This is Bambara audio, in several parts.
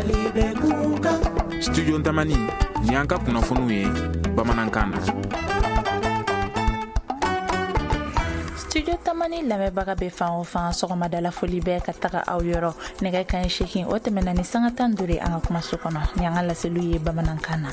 Mali bɛ kunkan. Studio Tamani, ni an ka kunnafoniw ye bamanankan na. Studio Tamani lamɛnbaga bɛ fan o fan, sɔgɔmadala foli bɛ ka taga aw yɔrɔ. Nɛgɛ kanɲɛ 8, o tɛmɛna ni sanga 15 ye an ka kumaso kɔnɔ, ni an ka laseliw ye bamanankan na.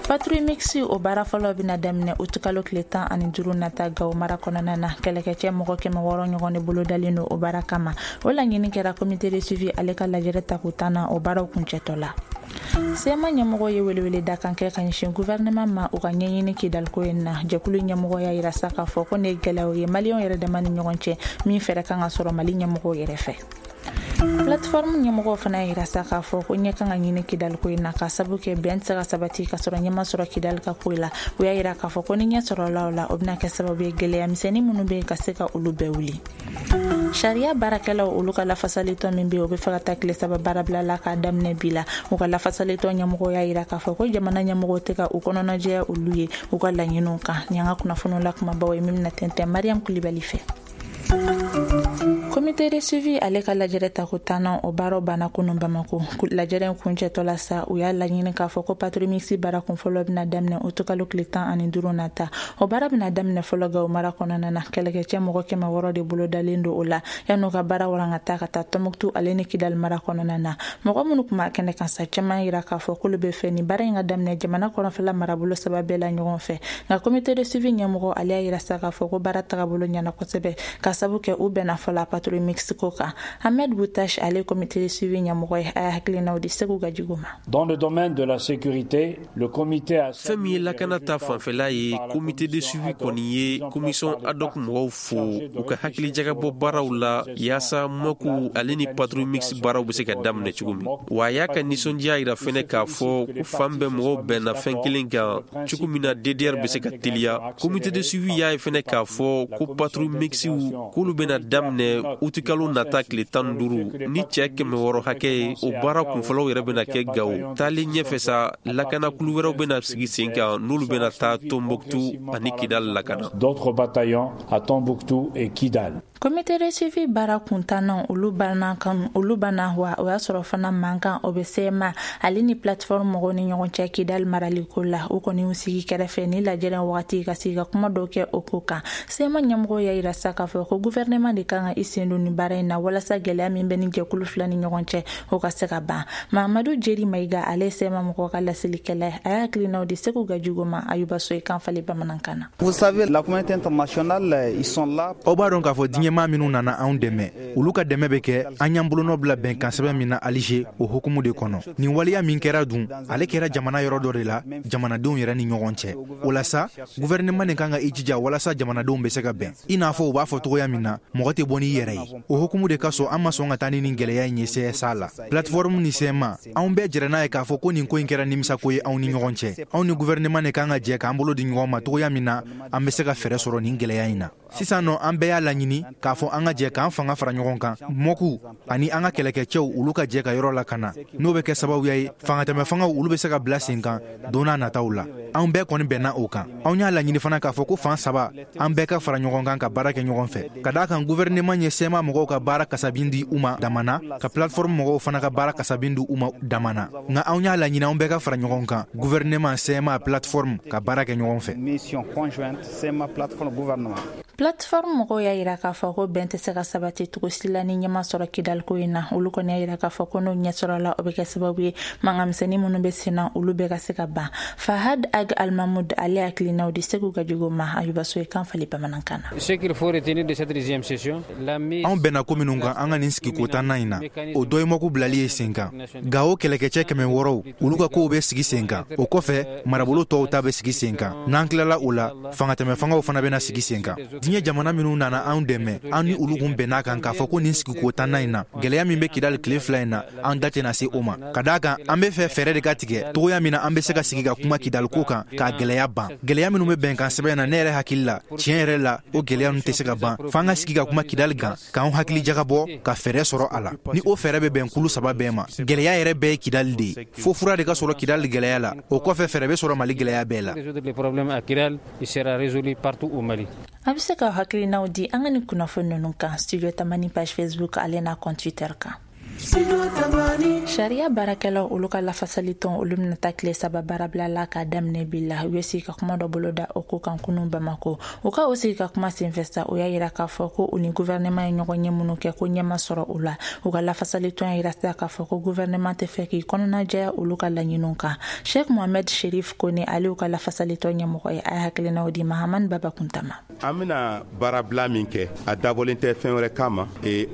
Patrouille mixte, o baara fɔlɔ bɛna daminɛ utukalo tile 15 nata Gawo mara kɔnɔna na. Kɛlɛkɛcɛ mɔgɔ 600 ɲɔgɔn de bolodalen don o baara kama. O laɲini kɛra comité de suivi ale ka lajɛrɛ tako 10 na, o baaraw kuncɛtɔ la. CMA ɲɛmɔgɔ ye welewele dakan kɛ ka ɲɛsin gouvernement ma, u ka ɲɛɲini Kidaliko in na. Jɛkulu ɲɛmɔgɔ y'a yira sa k'a fɔ ko nin ye gɛlɛyaw ye maliyɛnw yɛrɛ dama ni ɲɔgɔn cɛ, min fɛɛrɛ kan ka sɔrɔ Mali ɲɛmɔgɔw yɛrɛ fɛ. Plateforme ɲɛmɔgɔw fana y'a yira sa k'a fɔ ko ɲɛ kan ka ɲini Kidaliko in na, ka sabu kɛ bɛn tɛ se ka sabati ka sɔrɔ ɲɛ ma sɔrɔ Kidali ka ko la. U y'a yira k'a fɔ ko ni ɲɛ sɔrɔla o la, o bɛna kɛ sababu ye gɛlɛya misɛnnin minnu bɛ yen, ka se ka olu bɛɛ wuli. Sariya baarakɛlaw, olu ka lafasalitɔn min bɛ yen, o bɛ fɛ ka taa tile 3 baarabila la k'a daminɛ bi la. U ka lafasalitɔn ɲɛmɔgɔw y'a yira k'a fɔ ko jamana ɲɛmɔgɔw tɛ ka u kɔnɔnajɛya olu ye u ka laɲiniw kan. Ni an ka kunnafoniw la kumabaw ye, min bɛna tɛntɛn Mariam Kulibali fɛ. Comité de suivi ale ka lajɛrɛ tako 10nan, o baaraw banna kunun Bamako. Lajɛrɛ in kuncɛtɔ la sa, u y'a laɲini k'a fɔ ko patrouille mixte baara kun fɔlɔ bɛna daminɛ utukalo tile 15 nata. O baara bɛna daminɛ fɔlɔ Gawo mara kɔnɔna na. Kɛlɛkɛcɛ mɔgɔ 600 de bolodalen don o la, yan'u ka baara waranka ka taa Tɔnbuktu ale ni Kidali mara kɔnɔna na. Mɔgɔ minnu tun b'a kɛnɛ kan sa, caman yira k'a fɔ k'olu bɛ fɛ nin baara in ka daminɛ jamana kɔrɔnfɛla marabolo saba bɛɛ la ɲɔgɔn fɛ. Nka comité de suivi ɲɛmɔgɔ ale y'a yira sa k'a fɔ ko baara tagabolo ɲɛna kosɛbɛ, ka sabu kɛ u bɛnna fɔlɔ patrouille mixte ko kan. Ahmed Boutache, ale comité de suivi ɲɛmɔgɔ ye, a y'a hakilinaw di Segu Gajigo ma. Dans le domaine de la sécurité, le comité a Fɛn min ye lakana ta fanfɛla ye, comité de suivi kɔni ye commission ad hoc mɔgɔw fo u ka hakilijagabɔ baaraw la, yaasa MOC ale ni patrouille mixte baaraw bɛ se ka daminɛ cogo min. Wa a y'a ka nisɔndiya yira fɛnɛ k'a fɔ ko fan bɛɛ mɔgɔw bɛnna fɛn kelen kan, cogo min na DDR bɛ se ka teliya. Comité de suivi y'a ye fɛnɛ k'a fɔ ko patrouille mixte, k'olu bɛna daminɛ utikalo nata tile 15 ni cɛ 600 hakɛ ye. O baara kunfɔlɔw yɛrɛ bɛna kɛ Gawo. Taalen ɲɛfɛ sa, lakana kulu wɛrɛw bɛna sigi sen kan, n'olu bɛna taa Tombouctou ani Kidal lakana. D'autres bataillons à Tombouctou et Kidal. Comité de suivi baara kuntanna, olu banna kan, olu banna wa. O y'a sɔrɔ fana mankan o bɛ CMA ale ni plateforme mɔgɔw ni ɲɔgɔn cɛ Kidal maraliko la. U kɔni y'u sigi kɛrɛfɛ ni lajɛrɛ wagati ka sigi ka kuma dɔw kɛ o ko kan. CMA ɲɛmɔgɔw y'a yira sa k'a fɔ ko gouvernement de kan ka i sen don nin baara in na, walasa gɛlɛya min bɛ ni jɛkulu fila ni ɲɔgɔn cɛ, o ka se ka ban. Mahamadu Jeri Mayiga, ale ye CMA mɔgɔw ka laselikɛla ye, a y'a hakilinaw di Segu Gajigo ma Ayuba So kan falen bamanankan na. Vous savez, la communauté internationale, ils sont là. Aw b'a dɔn k'a fɔ diɲɛmaa minnu nana anw dɛmɛ, olu ka dɛmɛ bɛ kɛ an y'an bolonɔ bila bɛnkan sɛbɛn min na Alger, o hukumu de kɔnɔ. Nin waleya min kɛra dun, ale kɛra jamana yɔrɔ dɔ de la, jamanadenw yɛrɛ ni ɲɔgɔn cɛ. O la sa, gouvernement de kan ka i jija walasa jamanadenw bɛ se ka bɛn. I n'a fɔ u b'a fɔ cogoya min na, mɔgɔ tɛ bɔ n'i yɛrɛ ye. O hukumu de kasɔn, an ma sɔn ka taa ni nin gɛlɛya in ye CSA la. Plateforme ni CMA, anw bɛɛ jɛra n'a ye k'a fɔ ko nin ko in kɛra nimisako ye anw ni ɲɔgɔn cɛ. Anw ni gouvernement de kan ka jɛ k'an bolo di ɲɔgɔn ma, cogoya min na an bɛ se ka fɛɛrɛ sɔrɔ nin gɛlɛya in na. Sisan nɔ, an bɛɛ y'a laɲini k'a fɔ an ka jɛ k'an fanga fara ɲɔgɔn kan, MOC ani an ka kɛlɛkɛcɛw, olu ka jɛ ka yɔrɔ lakana, n'o bɛ kɛ sababuya ye fangatɛmɛ fangaw, olu bɛ se ka bila sen kan don n'a nataw la. Anw bɛɛ kɔni bɛnna o kan. Anw y'a laɲini fana k'a fɔ ko fan saba, an bɛɛ ka fara ɲɔgɔn kan ka baara kɛ ɲɔgɔn fɛ, ka d'a kan gouvernement ye CMA mɔgɔw ka baara kasabin di u ma damana, ka plateforme mɔgɔw fana ka baara kasabin di u ma damana. Nka anw y'a laɲini anw bɛɛ ka fara ɲɔgɔn kan, gouvernement, CMA, plateforme, ka baara kɛ ɲɔgɔn fɛ. Mission conjointe CMA, plateforme, gouvernement. Plateforme mɔgɔw y'a yira k'a fɔ ko bɛn tɛ se ka sabati cogo si la ni ɲɛma sɔrɔ Kidaliko in na. Olu kɔni y'a yira k'a fɔ ko n'o ɲɛ sɔrɔla, o bɛ kɛ sababu ye mankanmisɛnnin minnu bɛ sen na, olu bɛɛ ka se ka ban. Fahad Ag Almamud, ale hakilinaw di Segu Gajigo ma Ayuba So ye kan fali bamanankan na. Ce qu'il faut retenir de cette deuxième session, la mise Anw bɛnna ko minnu kan an ka nin sigiko tannan in na, o dɔ ye MOC bilali ye sen kan. Gawo kɛlɛkɛcɛ 600, olu ka kow bɛ sigi sen kan. O kɔfɛ, marabolo tɔw ta bɛ sigi sen kan. N'an tilala o la, fangatɛmɛ fangaw fana bɛna sigi sen kan. Diɲɛ jamana minnu nana anw dɛmɛ, an ni olu kun bɛn'a kan k'a fɔ ko nin sigiko tannan in na, gɛlɛya min bɛ Kidali tile 2 in na, an da tɛna se o ma, ka d'a kan an bɛ fɛ fɛɛrɛ de ka tigɛ togoya min na an bɛ se ka sigi ka kuma Kidali ko kan k'a gɛlɛya ban. Gɛlɛya minnu bɛ bɛnkan sɛbɛn na, ne yɛrɛ hakili la, tiɲɛ yɛrɛ la, o gɛlɛya ninnu tɛ se ka ban f'an ka sigi ka kuma Kidali kan, k'an hakili jagabɔ ka fɛɛrɛ sɔrɔ a la, ni o fɛɛrɛ bɛ bɛn kulu saba bɛɛ ma. Gɛlɛya yɛrɛ bɛɛ ye Kidali de ye. Fo fura de ka sɔrɔ Kidali gɛlɛya la, o kɔfɛ fɛɛrɛ bɛ sɔrɔ Mali gɛlɛya bɛɛ la. Résoudre les problèmes à Kidal, il sera résolu partout au Mali. A bɛ se ka hakilinaw di an ka nin kunnafoni ninnu kan Studio Tamani page Facebook ale n'a compte Twitter kan. Sariya baarakɛlaw olu ka lafasalitɔn olu bɛna taa tile 3 baarabila la k'a daminɛ bi la. U ye sigi ka kuma dɔ boloda o ko kan kunun Bamako. U ka o sigi ka kuma senfɛ sa, o y'a yira k'a fɔ ko u ni gouvernement ye ɲɔgɔn ye minnu kɛ ko ɲɛ ma sɔrɔ u la. U ka lafasalitɔn y'a yira sa k'a fɔ ko gouvernement tɛ fɛ k'i kɔnɔna jɛya olu ka laɲiniw kan. Sheikh Mohamed Sherif Kone, ale y'u ka lafasalitɔn ɲɛmɔgɔ ye, a ye hakilinaw di Mahamani Baba Kuntama. An bɛna baarabila min kɛ, a dabɔlen tɛ fɛn wɛrɛ kama.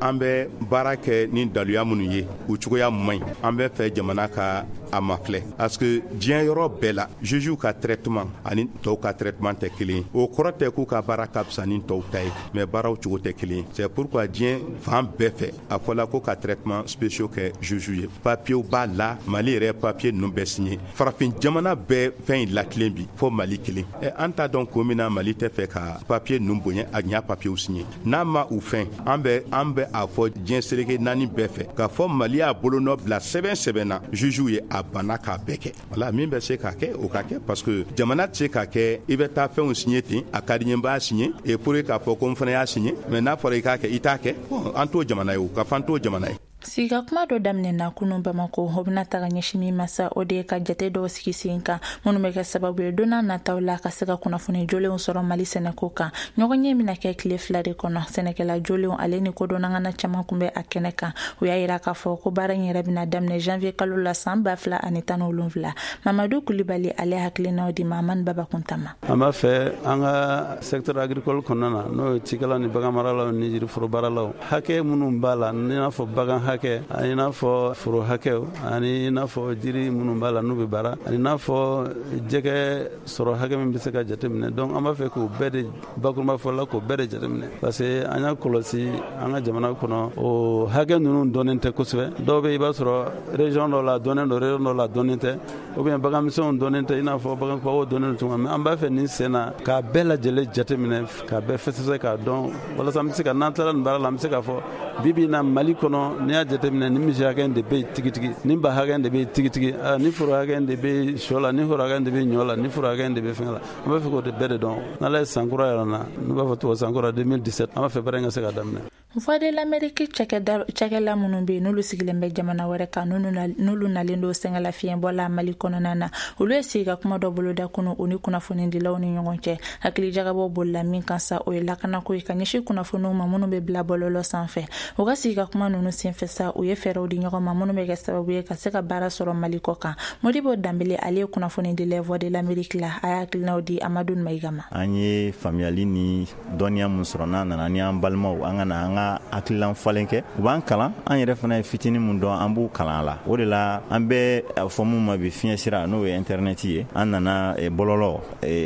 An bɛ baara kɛ ni daluya minnu ye, u cogoya man ɲi. An bɛ fɛ jamana ka a mafilɛ parce que diɲɛ yɔrɔ bɛɛ la, jugew ka traitement ani tɔw ka traitement tɛ kelen ye. O kɔrɔ tɛ k'u ka baara ka fisa ni tɔw ta ye, mais baaraw cogo tɛ kelen ye. C'est pourquoi diɲɛ fan bɛɛ fɛ, a fɔla ko ka traitement spéciaux kɛ juge ye. Papier b'a la, Mali yɛrɛ papier ninnu bɛɛ signé. Farafin jamana bɛɛ fɛn in latilen bi fo Mali kelen. An t'a dɔn ko min na Mali tɛ fɛ ka papier ninnu bonya, a ɲa papier signé. N'a ma u fɛn, an bɛ a fɔ diɲɛ seleke 4 bɛɛ fɛ k'a fɔ Mali y'a bolonɔ bila sɛbɛn na, juge ye a banna k'a bɛɛ kɛ. Wala min bɛ se k'a kɛ, o ka kɛ, parce que jamana tɛ se k'a kɛ i bɛ taa fɛnw signé ten, a ka di n ye n b'a signé et pour k'a fɔ ko n fana y'a signé, mais n'a fɔra i k'a kɛ, i t'a kɛ. Bon, an t'o jamana ye, o ka fɔ an t'o jamana ye. Sigi ka kuma dɔ daminɛna kunun Bamako, o bɛna taga ɲɛsin min ma sa, o de ye ka jate dɔw sigi sen kan minnu bɛ kɛ sababu ye don n'a nataw la ka se ka kunnafoni jolenw sɔrɔ Mali sɛnɛko kan. Ɲɔgɔnye bɛna kɛ tile 2 de kɔnɔ. Sɛnɛkɛla jolenw ale ni kodɔnnangana caman kun bɛ a kɛnɛ kan. U y'a yira k'a fɔ ko baara in yɛrɛ bɛna daminɛ janvier kalo la san 2017. Mamadu Kulibali, ale hakilinaw di Mahamani Baba Kuntama. An b'a fɛ an ka secteur agricole kɔnɔna na, n'o ye cikɛlaw ni baganmaralaw ni yiriforobaralaw, hakɛ minnu b'a la, i n'a fɔ bagan hakɛ, ani n'a fɔ foro hakɛw, ani n'a fɔ jiri minnu b'a la n'u bɛ baara, ani n'a fɔ jɛgɛ sɔrɔ hakɛ min bɛ se ka jateminɛ. Donc an b'a fɛ k'o bɛɛ de bakurunba fɔla k'o bɛɛ de jateminɛ, parce que an y'a kɔlɔsi an ka jamana kɔnɔ, o hakɛ ninnu dɔnnen tɛ kosɛbɛ. Dɔw bɛ i b'a sɔrɔ région dɔ la dɔnnen don, région dɔ la dɔnnen tɛ, ou bien baganmisɛnw dɔnnen tɛ, i n'a fɔ bagan kumabaw dɔnnen don cogo min. Mais an b'a fɛ nin sen na k'a bɛɛ lajɛlen jateminɛ, k'a bɛɛ fɛsɛfɛsɛ k'a dɔn, walasa an bɛ se ka n'an tilala nin baara la, an bɛ se k'a fɔ bi bi in na Mali kɔnɔ, n'i y'a jateminɛ, ni misi hakɛ de bɛ yen tigitigi, ni ba hakɛ de bɛ yen tigitigi, ni foro hakɛ de bɛ sɔ la, ni foro hakɛ de bɛ ɲɔ la, ni foro hakɛ de bɛ fɛn la. An b'a fɛ k'o de bɛɛ de dɔn. N'Ala ye san kura yɛrɛ na, n'u b'a fɔ tubabu san kura 2017, an b'a fɛ baara in ka se ka daminɛ. Voix de l'Amérique cakɛla minnu bɛ yen n'olu sigilen bɛ jamana wɛrɛ kan, n'olu nalen don sɛgɛnlafiɲɛbɔ la Mali kɔnɔna na, olu ye sigi ka kuma dɔ boloda kunu u ni kunnafonidilaw ni ɲɔgɔn cɛ. Hakilijagabɔ bolila min kan sa, o ye lakanako ye ka ɲɛsin kunnafoniw ma minnu bɛ bila bɔlɔlɔ sanfɛ. U ka sigi ka kuma ninnu senfɛ sa, u ye fɛɛrɛw di ɲɔgɔn ma minnu bɛ kɛ sababu ye ka se ka baara sɔrɔ Mali kɔ kan. Modibo Danbele, ale ye kunnafonidila Voix de l'Amérique la, a y'a hakilinaw di Amadu Mayiga ma. An ye faamuyali ni dɔnniya mun sɔrɔ, n'an nana ni an balimaw, an ka na an ka hakililan falen kɛ, u b'an kalan, an yɛrɛ fana ye fitinin mun dɔn, an b'u kalan a la. O de la an bɛ a fɔ mun ma bi fiɲɛ sira, n'o ye internet ye, an nana bɔlɔlɔ,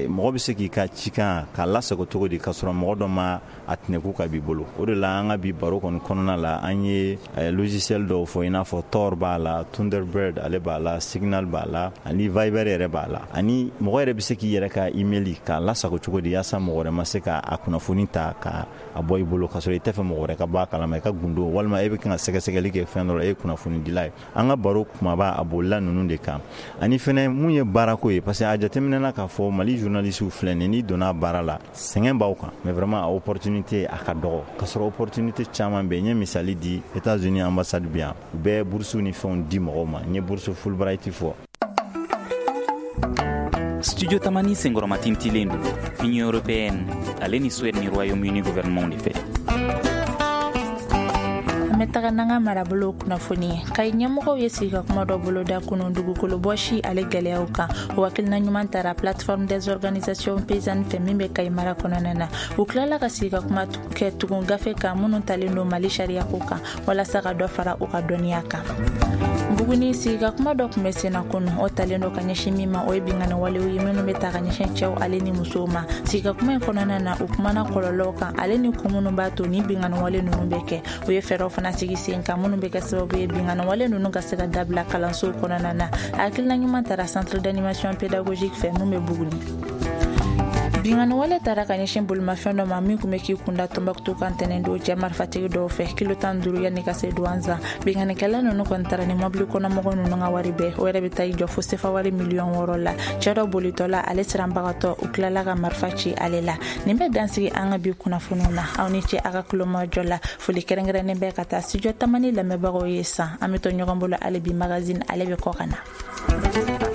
mɔgɔ bɛ se k'i ka cikan k'a lasago cogo di k'a sɔrɔ mɔgɔ dɔ ma a tɛnɛku ka b'i bolo. O de la an ka bi baro kɔni kɔnɔna la, an ye logiciel dɔw fɔ, i n'a fɔ Tor b'a la, Thunderbird ale b'a la, Signal b'a la, ani Viber yɛrɛ b'a la. Ani mɔgɔ yɛrɛ bɛ se k'i yɛrɛ ka email k'a lasago cogo di yaasa mɔgɔ wɛrɛ ma se ka a kunnafoni ta ka a bɔ i bolo k'a sɔrɔ i tɛ fɛ mɔgɔ wɛrɛ ka bɔ a kalama i ka gundo, walima e bɛ kan ka sɛgɛsɛgɛli kɛ fɛn dɔ la, e ye kunnafonidila ye. An ka baro kumaba a bolila ninnu de kan. Ani fɛnɛ mun ye baarako ye, parce que a jateminɛna k'a fɔ Mali journaliste filɛ nin ye, n'i donna baara la sɛgɛn b'aw kan, mais vraiment a opportunité a ka dɔgɔ, k'a sɔrɔ opportunité caman bɛ yen. N ye misali di, États-Unis ambassade bɛ yan, u bɛ bourse ni fɛnw di mɔgɔw ma. N ye bourse Fulbright fɔ. Studio Tamani senkɔrɔma tintilen don Union européenne ale ni Suède ni Royaume-Uni gouvernement de fɛ. An bɛ taga n'an ka marabolo kunnafoni ye. Kayi ɲɛmɔgɔw ye sigi ka kuma dɔ boloda kunun dugukolo bɔsi ale gɛlɛyaw kan. O hakilina ɲuman tara plateforme des organisations paysannes fɛ min bɛ Kayi mara kɔnɔna na. U tilala ka sigi ka kuma kɛ tugun gafe kan minnu talen don Mali sariyako kan walasa ka dɔ fara u ka dɔnniya kan. Buguni sigi ka kuma dɔ tun bɛ senna kunun, o talen don ka ɲɛsin min ma, o ye binkanni walew ye minnu bɛ ta ka ɲɛsin cɛw ale ni musow ma. Sigi ka kuma in kɔnɔna na, u kumana kɔlɔlɔw kan ale ni kun minnu b'a to ni binkanni wale ninnu bɛ kɛ. U ye fɛɛrɛw fana sigi sen kan minnu bɛ kɛ sababu ye binkanni wale ninnu ka se ka dabila kalansow kɔnɔna na. A hakilina ɲuman tara centre d'animation pédagogique fɛ min bɛ Buguni. Binkanni wale tara ka ɲɛsin bolimafɛn dɔ ma min tun bɛ k'i kunda Tɔnbɔkutu kan tɛnɛn don cɛ marifatigi dɔw fɛ kilo 15 yanni ka se Duwanzan. Binkannikɛla ninnu kɔni taara ni mɔbili kɔnɔmɔgɔ ninnu ka wari bɛɛ, o yɛrɛ bɛ taa i jɔ fo sefa wari miliyɔn 6 la. Cɛ dɔ bolitɔ la, ale siranbagatɔ, u tilala ka marifa ci ale la. Nin bɛ dansigi an ka bi kunnafoniw na. Aw ni ce a ka kulomajɔ la. Foli kɛrɛnkɛrɛnnen bɛ ka taa Studio Tamani lamɛnbagaw ye. San an bɛ to ɲɔgɔn bolo hali bi, magazine ale bɛ kɔ ka na.